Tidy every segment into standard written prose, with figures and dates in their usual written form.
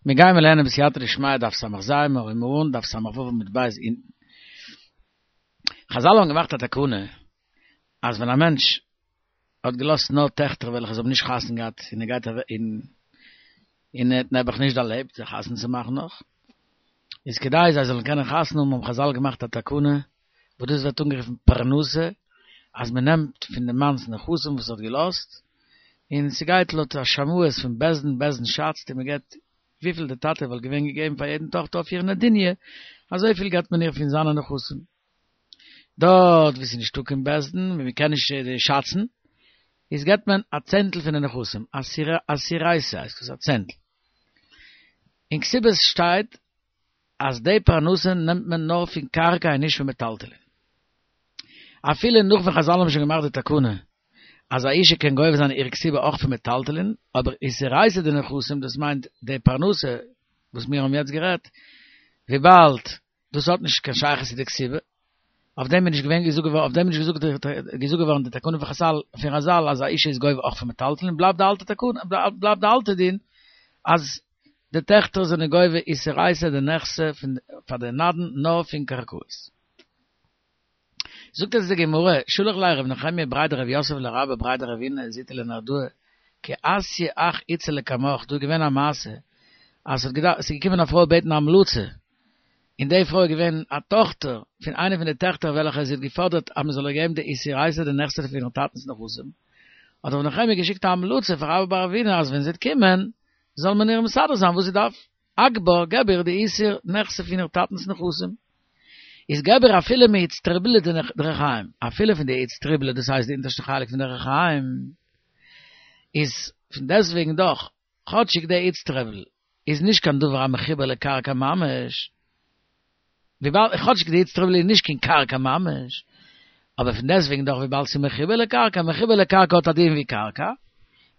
מיר גייען מיר לערנען בסייעתא דשמיא דף ס"ז, מיר הייבן אן דף ס"ו עמוד ב' אונטן. חזל האבן געמאכט א תקנה אז ווען א מענטש האט געלאזט נאר טעכטער וועלכע זיי האבן נישט חתונה געהאט און ער גייט אוועק און און ער האט נעבעך נישט דערלעבט זיי חתונה צו מאכן נאך, איז כדי זיי זאלן קענען חתונה האבן האבן חזל געמאכט א תקנה וואס דאס ווערט אנגערופן פרנסה, אז מען נעמט פון די מאנ'ס נכסים וואס ער האט געלאזט, און ס'גייט לויט א שמאות פון בית דין, בית דין שאצט און מען געבט וויפיל די טאטע וואלט געווען געגעבן פאר יעדן טאכטער אויף איר נדוניה, אזויפיל געבט מען איר פון זיינע נכסים. דארט וואו ס'איז נישטא קיין בית דין, וואו מען קען נישט שאצן, איז געבט מען א צענטל פון די נכסים, עשירייתא הייסט דאס, א צענטל. אין כתובות שטייט אז די פרנסה נעמט מען נאר פון קרקע און נישט פון מטלטלין. אפילו נאך ווען חזל האבן שוין געמאכט די תקנה אז א אישה קען גובה זיין איר כתובה אויך פון מטלטלין, אבער עשירייתא דנכסים דאס מיינט די פרנסה וואס מיר האבן יעצט גערעדט, וויבאלד דאס האט נישט קיין שייכות צו די כתובה, אויף דעם איז נישט געווען געזאגט געווארן, אויף דעם איז נישט געזאגט געווארן די תקנה פון חזל, פון חזל אז א אישה איז גובה אויך פון מטלטלין, בלייבט די אלטע תקנה, בלייבט די אלטע דין אז די טעכטער זענען גובה עשירייתא דנכסי פון פאר די נדן נאר פון קרקעות. זאגט אונז די גמרא, שלח ליה ר' נחמיה בריה דרב יוסף לרבה בריה דרבינא זוטא לנהרדעא, כי אתיא הך איתתא לקמך, דא איז געווען א מעשה אז ס'האט געדארפט, ס'איז געקומען א פרוי בעטן א המלצה, און די פרוי איז געווען א טאכטער פון איינע פון די טעכטער וועלכע זי האט געפאדערט אז מ'זאל איר געבן די עשירייתא דנכסי פון איר טאטנ'ס נכסים, האט ר' נחמיה געשיקט א המלצה פאר רבה בר רבינא אז ווען זי וועט קומען זאל מען איר מסדר זיין וואס זי דארף, אגבה, געב איר די עישור נכסי פון איר טאטנ'ס נכסים. איז געב איר אפילו מאיצטרובלא דריחיים, אפילו פון די איצטרובלא, דאס הייסט די אונטערשטע חלק פון די ריחיים, איז פון דעסטוועגן דאך, כאטשיג די איצטרובל איז נישט קיין דבר המחובר לקרקע ממש, וויבאלד כאטשיג די איצטרובל איז נישט קיין קרקע ממש, אבער פון דעסטוועגן דאך וויבאלד ס'איז מחובר לקרקע, מחובר לקרקע האט א דין ווי קרקע,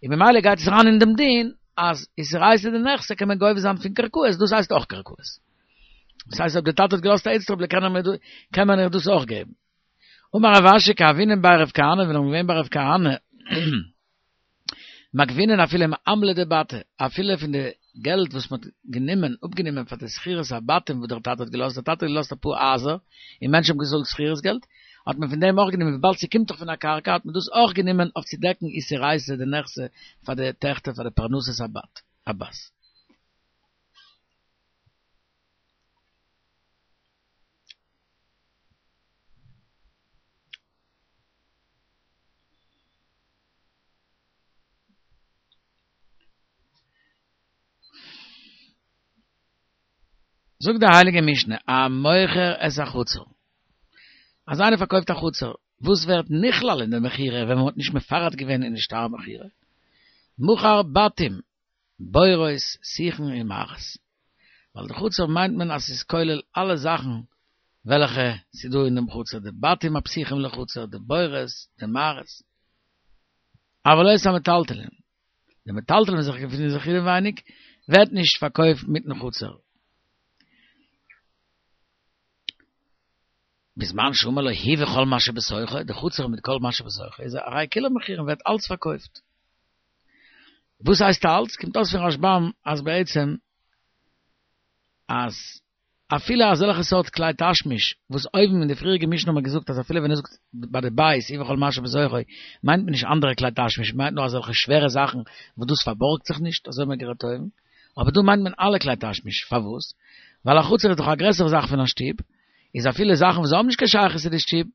און ממילא גייט עס אריין אין דעם דין אז עשירייתא דנכסי קען מען גובה זיין פון קרקעות, דאס הייסט אויך קרקעות. דאס הייסט אויב די טאטע האט געלאזט א איצטרובל קען מען איר דאס אויך געבן. אמר רב אשי כי הוינן בי רב כהנא ווען מיר געווען ביי רב כהנא, מגבינן אפילו מעמלא דבתי, אפילו פון די געלט וואס מ'האט גענומען, אפגענומען פאר די שכירות הבתים וואס דער טאטע האט געלאזט, דער טאטע האט געלאזט אפאר הייזער, און מענטשן האבן געצאלט שכירות געלט, האט מען פון דעם אויך גענומען, וויבאלד ס'קומט דאך פון א קרקע האט מען דאס אויך גענומען אויף צו דעקן עשירייתא דנכסי פאר די טעכטער פאר די פרנסת הבת, הבת. זאגט די הייליגע משנה, המוכר את החצר, אז איינער פארקויפט א חצר, וואס ווערט נכלל אין די מכירה ווען מען האט נישט מפרט געווען אין די שטר מכירה, מכר בתים, בורות, שיחין און מערות. ווייל די חצר מיינט מען אז ס'איז כולל אלע זאכן וועלכע ס'איז דא אין דעם חצר, די בתים הפתוחים לחצר, די בורות, די מערות. אבל לא את המטלטלין. די מטלטלין וואס זיך געפינען זיך אינעווייניג ווערט נישט פארקויפט מיטן חצר. בזמן שאמר לו היא וכל מה שבתוכה, די חצר מיט כל מה שבתוכה איז הרי כולן מכורין ווערט אלץ פארקויפט. וואס הייסט אלץ? קומט אויס פון רשב"ם אז בעצם אז אפילו אזעלכע סארט כלי תשמיש וואס אויבן אין די פריעריגע משנה האט מען געזאגט אז אפילו ווען ער זאגט ביי די בית היא וכל מה שבתוכו מיינט מען נישט אנדערע כלי תשמיש מ'מיינט נאר אזעלכע שווערע זאכן וואס דאס פארבארגט זיך נישט אזוי האט מען גערעדט אויבן אבער דא מיינט מען אלע כלי תשמיש פארוואס? ווייל א חצר איז דאך א גרעסערע זאך פון א שטוב איז אפילו זאכן וואס האבן נישט קיין שייכות צו די שטוב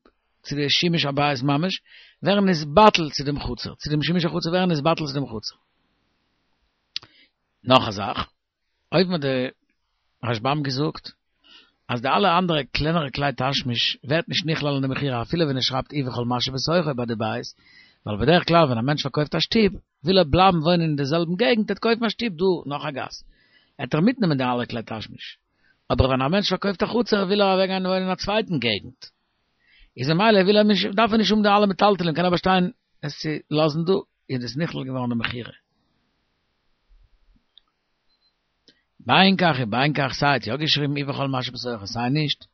צו די שימוש הבית ממש, ווערן נתבטל צו דעם חצר, צו דעם שימוש החצר ווערן נתבטל צו דעם חצר. נאך א זאך, אויבן האט די רשב"ם געזאגט אז די אלע אנדערע קלענערע כלי תשמיש ווערט נישט נכלל אין די מכירה אפילו ווען ער שרייבט היא וכל מה שבתוכו ביי די בית, ווייל בדרך כלל ווען א מענטש פארקויפט א שטוב וויל ער בלייבן וואוינען אין די זעלבן געגנט, ער וועט קויפן א שטוב דא נאך א גאס, עט ער מיטנעמען די אלע כלי תשמיש. אבער ווען א מענטש פארקויפט א חצר וויל ער אוועקגיין וואוינען אין א צווייטן געגנט, איז ממילא וויל ער נישט, דארף ער נישט האבן די אלע מטלטלים, קען ער באשטיין עס צו לאזן דא, איז דאס נכלל געווארן אין מכירה. בין כך ובין כך, סיי האט יא געשריבן היא וכל מה שבתוכו סיי נישט,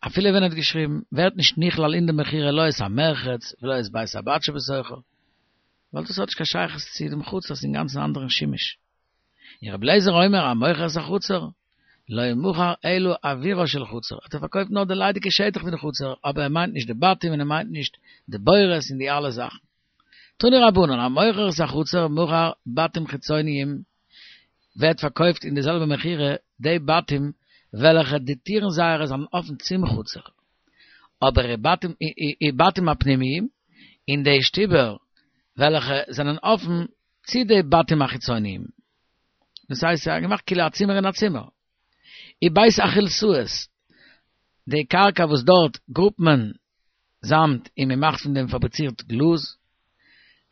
אפילו ווען ער האט געשריבן, ווערט נישט נכלל אין די מכירה לא את המרחץ ולא את בית הבד שבתוכו, ווייל דאס האט נישט קיין שייכות צו דעם חצר, ס'איז אינגאנצן אנדערן שימוש. און רבי אליעזר אומר המוכר את החצר, לא מכר אלא אוירה של חצר, האט ער פארקויפט נאר די ליידיגע שטח פון די חצר, אבער ער מיינט נישט די בתים און ער מיינט נישט די בורות און די אלע זאכן. תנו רבנן, המוכר את החצר מכר בתים חיצוניים, ווערט פארקויפט אין די זעלבע מכירה די בתים וועלכע די טירן זייערע זענען אפן צום חצר, אבער ובתים הפנימיים, און די שטיבער וועלכע זענען אפן צו די בתים החיצוניים. דאס הייסט ס'איז געמאכט כאילו א צימער אין א צימער. ובית החלתאות, די קרקע וואס דארט גראבט מען זאמד און מען מאכט פון דעם פאבריצירט גלאז.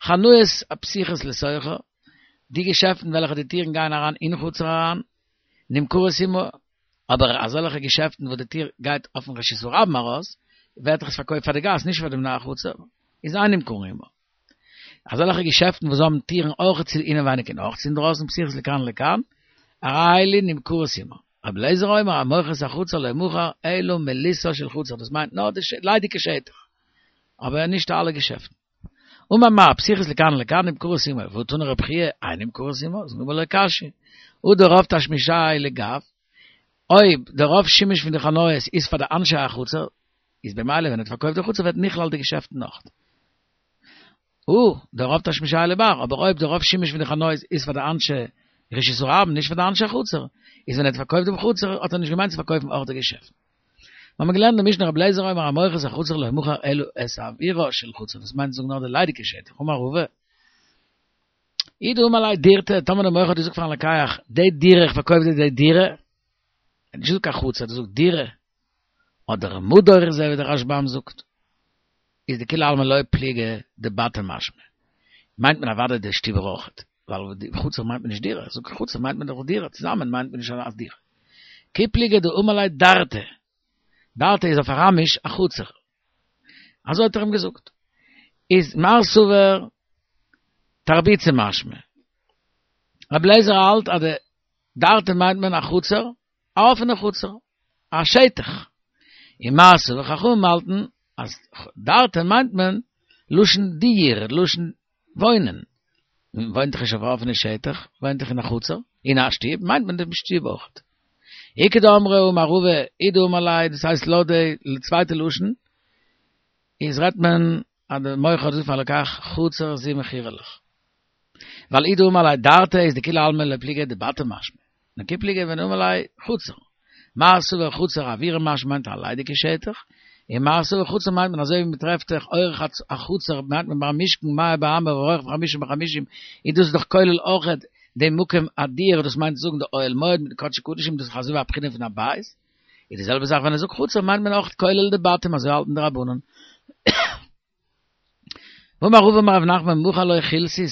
חנויות הפתוחות לתוכה, די געשעפטן וועלכע די טירן גייען אריין אין חצר אריין, נמכרות עמה, אבער אזעלכע געשעפטן וואס די טיר גייט אויפן רשות הרבים ארויס, ווערט דאך עס פארקויפט פאר די גאס נישט פאר די בני החצר, איז אין נמכרין עמה. אזעלכע געשעפטן וואס האבן טירן אויך צו אינעווייניג און אויך צו אינדרויסן פתוחות לכאן ולכאן, הרי אלו נמכרות עמה. רבי אליעזר אומר המוכר את החצר לא מכר אלא מליסה של חצר, דאס מיינט נאר די ליידיגע שטח, אבער נישט אלע געשעפטן. אמר מר, פתוחות לכאן ולכאן נמכרות עמה, והא תני רבי חייא, אין נמכרות עמה, זאגט די גמרא לא קשיא. הא דרוב תשמישייהו לגב, אויב די רוב שימוש פון די חנויות איז פאר די אנשי החצר, איז במילא ווען ער האט פארקויפט די חצר ווערט נכלל די געשעפטן אויך. הא דרוב תשמישייהו לבר, אבער אויב די רוב שימוש פון די חנויות איז פאר די אנשי רשות הרבים נישט פאר די אנשי החצר, איז ווען ער האט פארקויפט דעם חצר האט ער נישט געמיינט צו פארקויפן אויך די געשעפטן. מיר האבן געלערנט די משנה רבי אליעזר אומר המוכר את החצר לא מכר אלא את אוירה של חצר, דאס מיינט זאגן נאר די ליידיגע שטח, אמר רבא, אי דאמר ליה דירתא, טאמער דער מוכר האט געזאגט פארן לוקח, די דירה, איך פארקויף דיר די דירה, ער האט נישט געזאגט קיין חצר, ער האט געזאגט דירה, אדער מדור אזוי ווי דער רשב"ם זאגט, איז דכולי עלמא לא פליגי דבתים משמע, מיינט מען אוודאי די שטיבער אויכעט, ווייל די חצר מיינט מען נישט דירה, זאג חצר מיינט מען דאך דירה, צוזאמען מיינט מען נישט אז דירה. כי פליגי דאמר ליה דרתא, דרתא איז אויף אראמיש א חצר. אזוי האט ער אים געזאגט. איז מר סבר תרביצא משמע. רבי אליעזר האלט אז די דרתא מיינט מען א חצר, א אפענע חצר, א שטח. און מר סבר חכמים האלטן אז דרתא מיינט מען לשון דיור, לשון וואוינען. מען וואוינט דאך נישט אויף א אפענע שטח, וואוינט דאך אין א חצר, אין א שטוב, מיינט מען דעם שטוב אויך. איכא דאמרי אמר רבא, אי דאמר ליה, דאס הייסט לויט די צווייטע לשון, איז רעדט מען אז די מוכר האט געזאגט פארן לוקח חצר זו מכורה לך. ווייל אי דאמר ליה דרתא איז דכולי עלמא לא פליגי דבתים משמע. נאר כי פליגי ווען דאמר ליה חצר. מר סבר חצר אוירא משמע מיינט א ליידיגע שטח, און מר סבר חצר מיינט מען אזוי ווי מען טרעפט זיך אורך החצר מיינט מען ביים משכן מאה באמה ורוחב חמישים בחמישים, איז דאס דאך כולל אויכעט דעם מקום הדיור דאס מיינט צו זאגן די אוהל מועד מיט די קדשי קדשים דאס איז אזוי ווי א בחינה פון א בית, איז די זעלבע זאך ווען ער זאגט חצר מיינט מען אויכעט כולל די בתים אזוי האלטן די רבנן. ואמר רבא אמר רב נחמן מכר לו חילתית,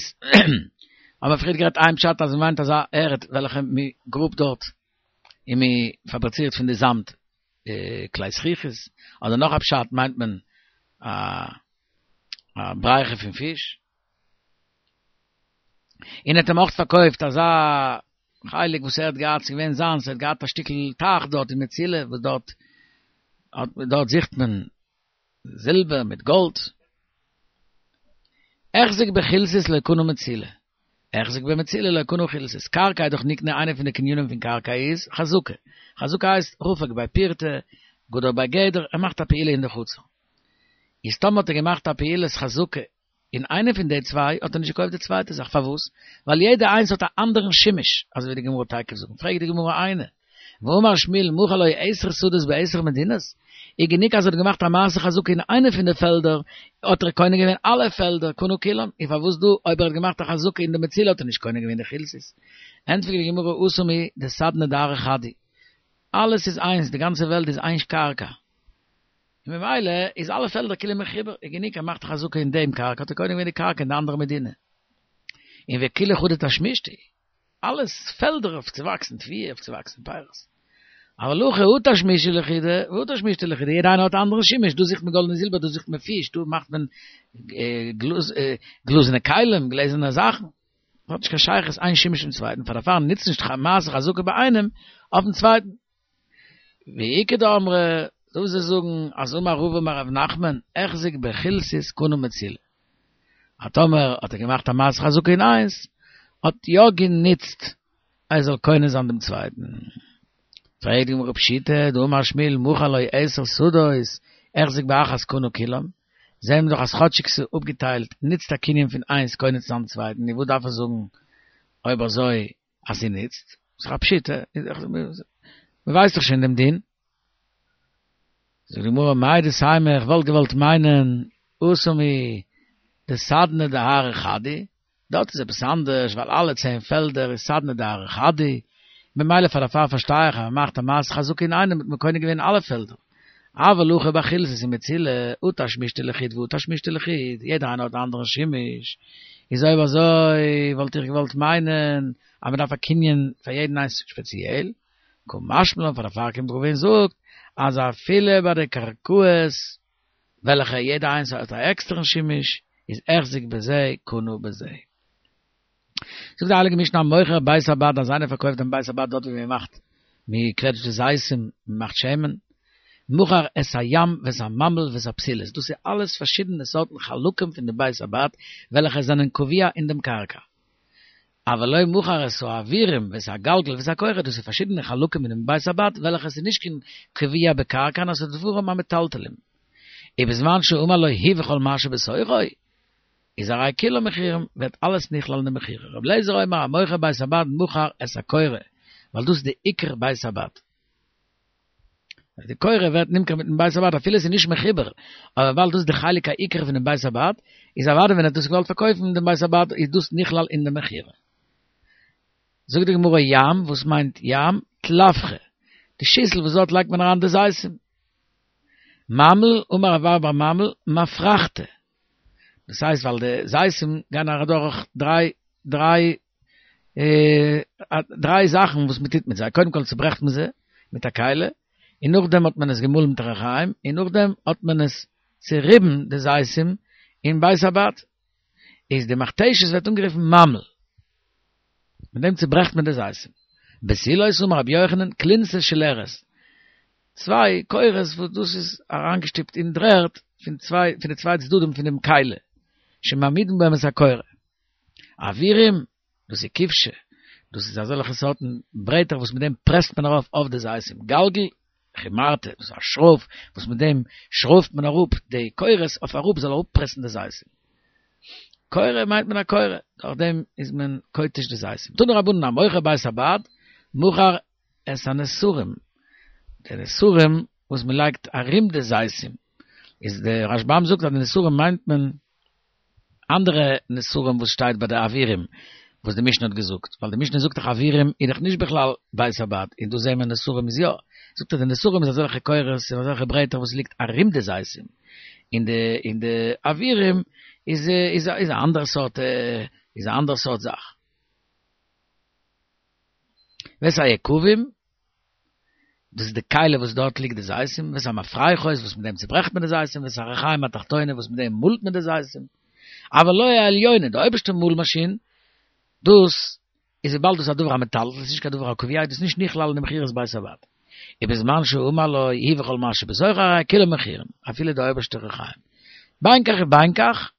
האבן מיר פריער גערעדט איין פשט אז מ'מיינט אזא ערד וועלכע מ'גראבט דארט און מ'פאבריצירט פון די זאמד כלי זכוכית, אדער נאך א פשט מיינט מען א בריכה פון פיש. און ער האט אים אויך פארקויפט אזא חלק וואס ער האט געהאט, ס'איז געווען זיינס, ער האט געהאט א שטיקל טייך דארט אין מצילה וואס דארט דארט זוכט מען זילבער מיט גאלד. החזיק בחילתית לא קנה מצילה. החזיק במצילה לא קנה חילתית. קרקע איז דאך נקנה איינע פון די קנינים פון קרקע איז חזקה. חזקה הייסט רפק ביה פירתא, גדר ביה גדר, ער מאכט א פעולה אין די חצר. איז טאמער האט ער געמאכט א פעולת חזקה אין איינע פון די צוויי האט ער נישט געקויפט די צווייטע זאך, פארוואס? ווייל יעדע איינס האט א אנדערן שימוש, אזוי ווי די גמרא תיכף זאגן, פרעגט די גמרא איני, והאמר שמואל מכר לו עשר שדות בעשר מדינות, איז גענוג אז ער האט געמאכט א מעשה חזקה אין איינע פון די פעלדער, האט ער קונה געווען אלע פעלדער, קנה כולן, און פארוואס דא אויב ער האט געמאכט א חזקה אין די מצילה האט ער נישט קונה געווען די חילתית? ענטפערט די גמרא התם הוא דסדנא דארעא חד הוא, אלעס איז איינס, די גאנצע וועלט איז איין קרקע, און ממילא איז אלע פעלדער כאילו מחובר, איז גענוג ער מאכט א חזקה אין דעם קרקע האט ער קונה געווען די קרקע אין די אנדערע מדינה. און וכולהו חדא תשמישתא הוא, אלעס פעלדער אויף צו וואקסן תבואה, אויף צו וואקסן פירות. אבל הכא הא תשמישא לחודא והא תשמישתא לחודא, יעדע איינער האט א אנדערן שימוש, דא זוכט מען גאלד און זילבער, דא זוכט מען פיש, דא מאכט מען גלאזענע כלים, גלעזערנע זאכן. האט נישט קיין שייכות איין שימוש צום צווייטן, פאר דערפאר נוצט נישט מעשה חזקה ביי איינעם אויפן צווייטן. ואיכא דאמרי, דא וואס זיי זאגן אז אמר רבא אמר רב נחמן, החזיק בחילתית קנה מצילה. אז טאמער האט ער געמאכט א מעשה חזקה אין איינס, האט יא גענוצט. ער זאל קונה זיין דעם צווייטן. פרעגט די גמרא פשיטא דאמר שמואל מכר לו עשר שדות החזיק באחת קנה כולם, זעהן מיר דאך אז כאטשיג ס'איז אפגעטיילט נוצט א קנין פון איינס קונה צו זיין דעם צווייטן, נו וואס דארף ער זאגן אויב אזוי אז ס'נוצט? ס'איז דאך א פשיטא, מ'ווייסט דאך שוין דעם דין. זאגט די גמרא מהו דתימא איך וואלט געוואלט מיינען התם הוא דסדנא דארעא חד הוא, דארט איז עפעס אנדערש ווייל אלע צען פעלדער איז סדנא דארעא חד הוא, ממילא פאר דערפאר פארשטיי איך אז מען מאכט א מעשה חזקה אינאיינעם האט מען קונה געווען אלע פעלדער. אבל הכא בחילתא ומצילי, הא תשמישתא לחוד והא תשמישתא לחוד, יעדער איינער האט א אנדערן שימוש, איז אויב אזוי וואלט איך געוואלט מיינען אז מען דארף א קנין פאר יעדן איינס שפעציעל, קא משמע לן פאר דערפאר קומט רבא און זאגט אז אפילו ביי די קרקעות וועלכע יעדע איינס האט א עקסטערן שימוש איז החזיק בזה קנה בזה. זאגט די הייליגע משנה המוכר בית הבד אז איינער פארקויפט דעם בית הבד דארט ווי מען מאכט מען קוועטשט די זיתים מען מאכט שמן מכר את הים ואת הממל ואת הפתילות דאס איז אלעס פארשידענע סארטן חלקים פון די בית הבד וועלכע זענען קבוע אין דעם קרקע. אבל לא מכר את האווירים ואת הגלגל ואת הקורה, דאס איז פארשידענע חלקים אינעם בית הבד וועלכע עס איז נישט קיין קבוע בקרקע נאר עס איז דברים המטלטלים. ובזמן שאמר לו הוא וכל מה שבתוכו, איז הרי כולן מכורים, ווערט אלעס נכלל אין די מכירה. רבי אליעזר אומר המוכר בית הבד מכר את הקורה, ווייל דאס איז די עיקר בית הבד. די קורה ווערט נמכר מיטן בית הבד אפילו עס איז נישט מחובר, אבער וויבאלד דאס איז די חלק העיקר פונעם בית הבד, איז אוודאי ווען ער האט דאס געוואלט פארקויפן דעם בית הבד איז דאס נכלל אין די מכירה. זאגט די גמרא ים, וואס מיינט ים? טלפחי, די שיסל וואס דארט לייגט מען אריין די זיתים. ממל, אמר רב אבא בר ממל, מפרכתא, דאס הייסט ווייל די זיתים גייען אדורך דריי דריי דריי זאכן וואס מען טוט מיט זיי, קודם כל צוברעכט מען זיי מיט א כלי, און נאכדעם האט מען עס געמאלן מיט רחיים, און נאכדעם האט מען עס צוריבן די זיתים אין בית הבד, איז די מכתשת ווערט אנגערופן ממל, מיט דעם צוברעכט מען די זיתים. בתילות אמר רבי יוחנן כלונסות של ארז, צוויי קורות וואס דאס איז אריינגעשטופט אין דר'ערד פון צוויי פון די צוויי צדדים פון דעם כלי, שמעמידין בהם את הקורה. אווירים, דאס איז כבשי, דאס איז אזעלכע סארטן ברעטער וואס מיט דעם פרעסט מען ארויף אויף די זיתים. גלגל, חמרתא, דאס איז א שרויף וואס מיט דעם שרויפט מען אראפ די קורות אויף אראפ זאל אראפפרעסן די זיתים. קורה מיינט מען א קורה, דורך דעם איז מען כותש די זיתים. תנו רבנן המוכר בית הבד, מכר את הנסרים, די נסרים וואס מען לייגט ארום די זיתים, איז די רשב"ם זאגט אז די נסרים מיינט מען אנדערע נסרים וואס שטייט ביי די אווירים וואס די משנה האט געזאגט, ווייל די משנה זאגט דאך אווירים איז דאך נישט בכלל בית הבד, און דא זעהן מיר נסרים איז יא, זאגט ער די נסרים איז אזעלכע קורות און אזעלכע ברעטער וואס ליגט ארום די זיתים, און די און די אווירים איז איז איז א אנדערע סארט איז א אנדערע סארט זאך. ואת היקבים, דאס איז די כלי וואס דארט ליגט די זיתים, ואת המפרכות וואס מיט דעם צוברעכט מען די זיתים, ואת הריחיים התחתונה וואס מיט דעם מאלט מען די זיתים, אבל לא העליונה, די אויבערשטע מאל מאשין, דאס איז וויבאלד דאס איז א דבר המטלטל, עס איז נישט קיין דבר הקבוע, איז דאס נישט נכלל אין די מכירת בית הבד. ובזמן שאמר לו הוא וכל מה שבתוכו הרי כולן מכורין, אפילו די אויבערשטע ריחיים. בין כך ובין כך,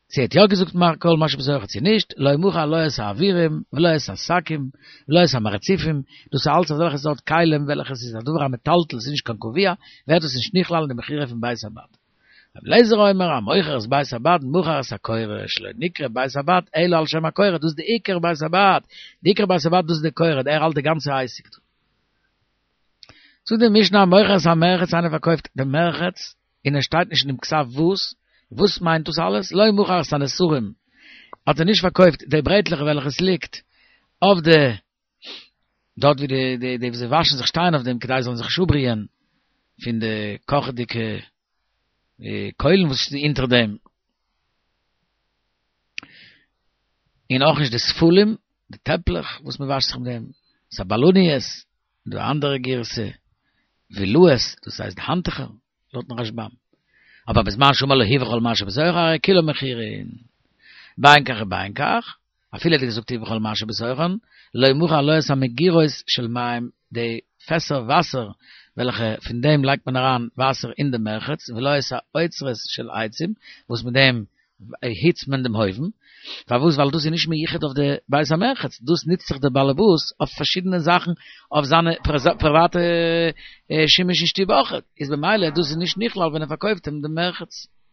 צו ער האט יא געזאגט כל מה שבתוכו צו נישט, לא מכר לא את האווירים ולא את השקים ולא את המרציפים, דאס איז אלץ אזעלכע סארט כלים וועלכע עס איז א דבר המטלטל, עס איז נישט קיין קבוע, ווערט דאס נישט נכלל אין די מכירה פון בית הבד. רבי אליעזר אומר, המוכר את בית הבד מכר את הקורה, שלא נקרא בית הבד אלא על שם הקורה, דאס איז די עיקר בית הבד, די עיקר בית הבד דאס איז די קורה, ער האלט די גאנצע עסק דא. זאגט די משנה המוכר את המרחץ איינער פארקויפט די מרחץ, און עס שטייט נישט אין דעם כתב וואס, וואס מיינט דאס אלעס, לא מכר את הנסרים, האט ער נישט פארקויפט די ברעטלעך וועלכע עס ליגט אויף די, דארט ווי די די די וואס זיי וואשן זיך שטייען אויף דעם כדי זיי זאלן זיך נישט אפבריען פון די קאכעדיגע קוילן וואס איז אונטער דעם, און אויך נישט די ספלים, די טעפלעך וואס מען וואשט זיך מיט דעם, ואת הבלניות, דא אנדערע גירסא, וילאות, דאס הייסט האנטוכער, לויטן רשב"ם. אבער בזמן שאמר לו הוא וכל מה שבתוכו הרי כולן מכורין. בין כך ובין כך, אפילו האט ער געזאגט הוא וכל מה שבתוכן, לא מכר לא את המגירות של מים, די פעסער וואסער וועלכע פון דעם לייגט מען אריין וואסער אין די מרחץ, ולא את האוצרות של עצים, וואס מיט דעם. היצט מען דעם אויוון, פארוואס ווייל דאס איז נישט מיוחד אויף די בית המרחץ, דאס נוצט זיך דער באלעבאס אויף פארשידענע זאכן אויף זיינע פריוואטע שימוש אין שטוב אויך, איז במילא דאס איז נישט נכלל ווען ער פארקויפט אים דעם מרחץ.